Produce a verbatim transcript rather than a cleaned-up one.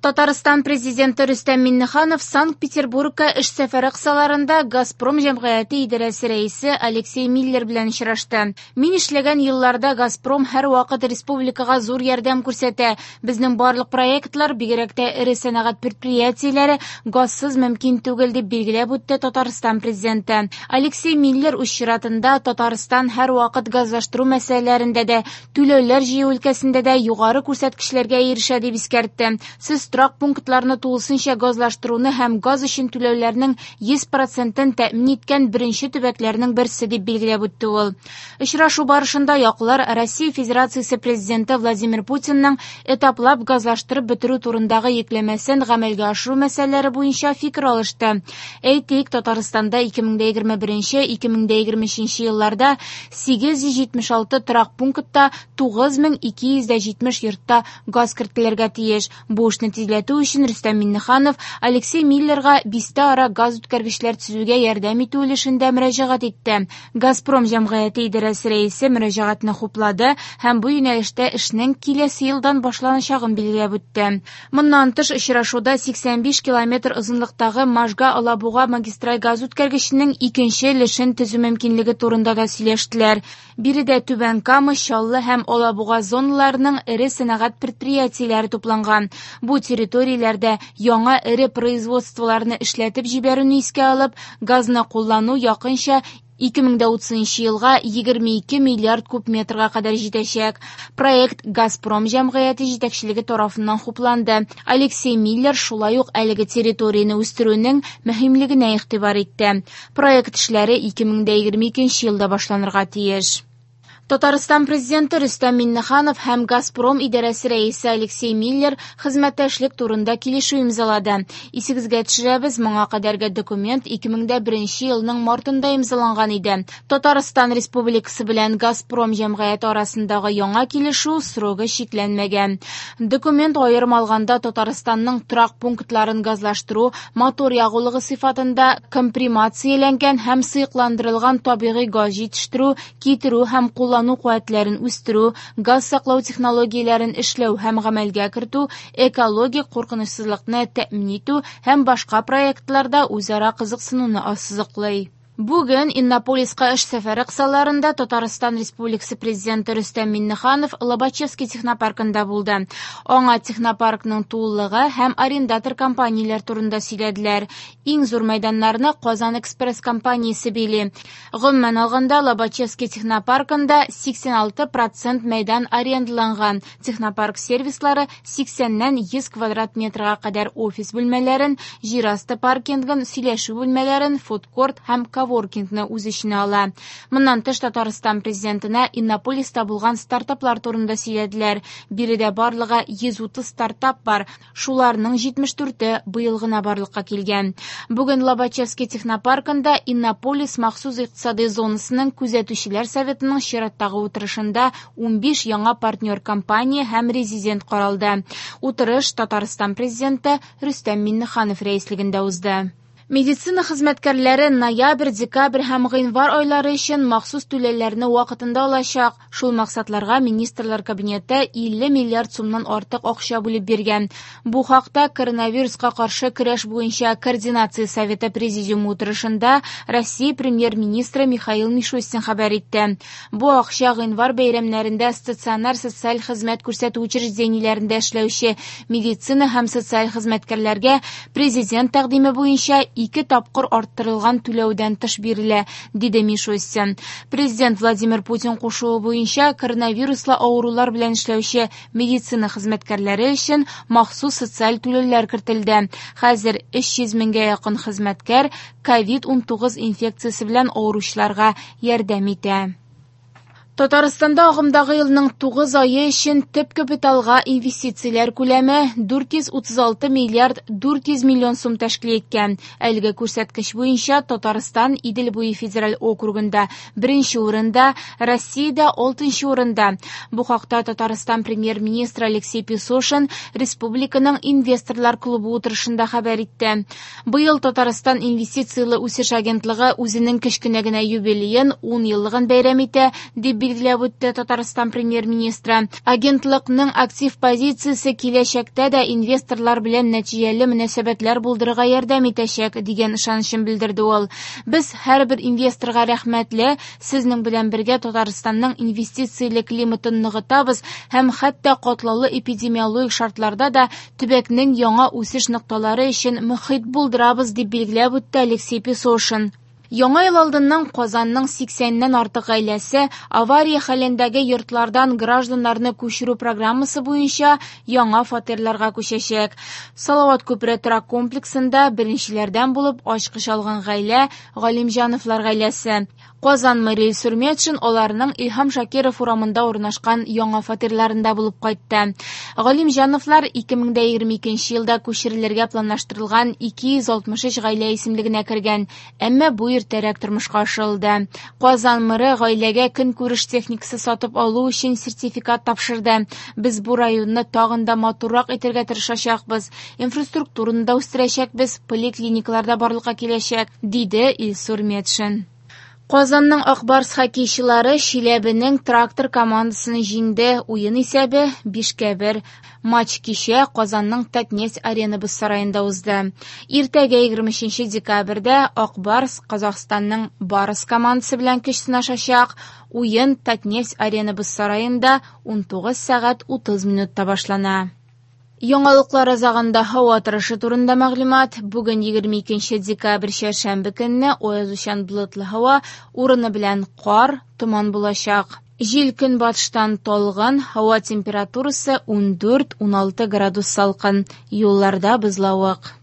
Татарстан президенты Рөстәм Миңнеханов Санкт-Петербургка эш сәфәре кысаларында «Газпром» җәмгыяте идарәсе рәисе Алексей Миллер белән очрашты. Мин эшләгән елларда «Газпром» һәрвакыт республикага зур ярдәм күрсәтә. Безнең барлык проектлар, бигрәк тә эре сәнәгать предприятиеләре газсыз мөмкин түгел, дип билгеләп үтте Татарстан президенты. Алексей Миллер үз чиратында Татарстан һәрвакыт газлаштыру мәсьәләләрендә дә, түләүләр җыю өлкәсендә дә югары күрсәткечләргә ирешә, дип искәртте. Сез торак пунктларны тулысынча газлаштыруны һәм газ өчен түләүләрнең йөз процентын тәэмин иткән беренче төбәкләрнең берсе, дип билгеләп үтте ул. Очрашу барышында яклар Россия Федерациясе президенты Владимир Путинның этаплап газлаштырып бетерү турындагы йөкләмәсен гамәлгә ашыру мәсьәләләре буенча фикер алышты. Әйтик, Татарстанда ике мең дә егерме беренче, ике мең дә егерме өченче елларда сигез йөз җитмеш алты торак пунктта тугыз мең ике йөз дә җитмеш йортта газ кертелергә тиеш. Бу эшне тизләтү өчен Рөстәм Миңнеханов Алексей Миллерга бистә ара газ үткәргечләр төзүгә ярдәм итү өлешендә мөрәҗәгать итте. «Газпром» җәмгыяте идарәсе рәисе мөрәҗәгатьне хуплады һәм бу юнәлештә эшнең киләсе елдан башланачагын билгеләп үтте. Моннан тыш очрашуда сиксән биш километр озынлыктагы Можга-Алабуга магистраль газ үткәргеченең икенче өлешен төзү мөмкинлеге турында да сөйләштеләр. Биредә Түбән Кама, Чаллы һәм Алабуга зоналарының эре сәнәгать предприятиеләре тупланган. Бу территорияләрдә яңа эре производстволарны эшләтеп җибәрүне искә алып, газны куллану якынча ике мең дә утызынчы елга егерме ике миллиард куб метрга кадәр җитәчәк. Проект «Газпром» җәмгыяте җитәкчелеге тарафыннан хупланды. Алексей Миллер шулай ук әлеге территорияне үстерүнең мөһимлегенә игътибар итте. Проект эшләре ике мең дә егерме икенче елда башланырга тиеш. Татарстан президенты Рөстәм Миңнеханов һәм «Газпром» идарәсе рәисе Алексей Миллер хезмәттәшлек турында килешү имзалады. Исегезгә төшерәбез, моңа кадәрге документ ике мең дә беренче елның мартында имзаланган иде. Татарстан Республикасы белән «Газпром» җәмгыяте арасындагы яңа килешү срогы чикләнмәгән. Документ аерым алганда Татарстанның торак пунктларын газлаштыру, мотор ягулыгы сыйфатында компримацияләнгән һәм сыекландырылган табигый газ җитештерү, китерү һәм куллану куәтләрен үстерү, газ саклау технологияләрен эшләү һәм гамәлгә кертү, экологик куркынычсызлыкны тәэмин итү һәм башка проектларда үзара кызыксынуны ассызыклый. Бүген Иннополиска эш сәфәре кысаларында Татарстан Республикасы президенты Рөстәм Миңнеханов Лобачевский технопаркында булды. Аңа технопаркның тулылыгы һәм арендатор компанияләр турында сөйләделәр. Иң зур мәйданнарны Казан Экспресс компаниясе били. Гомумән алганда, Лобачевский технопаркында сиксән алты процент мәйдан арендаланган. Технопарк сервислары сиксәннән йөз квадрат метрга кадәр офис бүлмәләрен, җир асты паркингын, сөйләшү бүлмәләрен, фудкорт һәм коворкингны үз эченә ала. Моннан тыш Татарстан президентына Иннополиста булган стартаплар турында сөйләделәр. Биредә барлыгы йөз утыз стартап бар. Шуларның җитмеш дүрте быел гына барлыкка килгән. Бүген Лобачевский технопаркында Иннополис махсус икътисади зонасының күзәтүчеләр советының чираттагы утырышында унбиш яңа партнер компания һәм резидент каралды. Утырыш Татарстан президенты Рөстәм Миңнеханов рәислегендә узды. Медицина хезмәткәрләре ноябрь, декабрь һәм гыйнвар айлары өчен махсус түләүләрне вакытында алачак. Шул максатларга Министрлар Кабинеты илле миллиард сумнан артык акча бүлеп биргән. Бу хакта коронавируска каршы көрәш буенча координация советы президиумы утырышында Россия премьер-министры Михаил Мишустин хәбәр итте. Бу акча гыйнвар бәйрәмнәрендә стационар социаль хезмәт күрсәтү учреждениеләрендә эшләүче медицина һәм социаль хезмәткәрләргә президент тәкъдиме буенча ике тапкыр арттырылган түләүдән тыш бирелә, диде Мишустин. Президент Владимир Путин кушуы буенча коронавируслы авырулар белән эшләүче медицина хезмәткәрләре өчен махсус социаль түләүләр кертелде. Хәзер өч йөз меңгә якын хезмәткәр ковид унтугыз инфекциясе белән авыручыларга ярдәм итә. Татарстанда агымдагы елның тугыз ае өчен төп капиталга инвестицияләр күләме дүрт йөз утыз алты миллиард дүрт йөз миллион сум тәшкил иткән. Әлеге күрсәткеч буенча Татарстан Идел буе федераль округында беренче урында, Россиядә алтынчы урында. Бу хакта Татарстан премьер-министры Алексей Песошин республиканың инвесторлар клубы утырышында хәбәр итте. Быел Татарстан инвестицияле үсеш агентлыгы үзенең кечкенә генә юбилеен ун еллыгын бәйрәм итә, дип билгеләп үтте Татарстан премьер-министры. Агентлыкның актив позициясе киләчәктә дә инвесторлар белән нәтиҗәле мөнәсәбәтләр булдырырга ярдәм итәчәк, дигән ышанычын белдерде ул. Без һәрбер инвесторга рәхмәтле, сезнең белән бергә Татарстанның инвестицияле климатын ныгытабыз һәм хәтта катлаулы эпидемиологик шартларда да төбәкнең яңа үсеш нокталары өчен мөхит булдырабыз, дип билгеләп үтте Алексей Песошин. Яңа ел алдыннан Казанның сиксәннән артык гаиләсе авария хәлендәге йортлардан гражданнарны күчерү программасы буенча яңа фатирларга күчәчәк. Салават күпере торак комплексында беренчеләрдән булып ачкыч алган гаилә Галимҗановлар гаиләсе. Казан мэры Илсур Метшин аларның Илһам Шакиров урамында урнашкан яңа фатирларында булып кайтты. Галимҗановлар ике мең дә егерме икенче елда күчерелергә планлаштырылган ике йөз алтмыш өч гаилә исемлегенә кергән, әмма бу иртәрәк тормышка ашырылды. Казан мэры гаиләгә көнкүреш техникасы сатып алу өчен сертификат тапшырды. Без бу районны тагын да матуррак итәргә тырышачакбыз, инфраструктураны да үстерәчәкбез, поликлиникалар да барлыкка киләчәк, диде Илсур Метшин. Казанның Ак Барс хоккейчылары Чиләбенең Трактор командасын җиңде. Уен исәбе бишкә бер. Матч кичә Казанның Татнефть арена боз сараенда узды. Иртәгә егерме өченче декабрьдә Ак Барс Казахстанның Барыс командасы белән көч сынашачак. Уен Татнефть арена боз сараенда унтугыз сәгать утыз минутта башлана. Яңалыклар азагында һава торышы турында мәгълүмат. Бүген егерме икенче декабрь чәршәмбе көнне аязучан болытлы һава, урыны белән кар, томан булачак. Җил көнбатыштан талгын, һава температурасы ундүрт-уналты градус салкын. Юлларда бозлавык.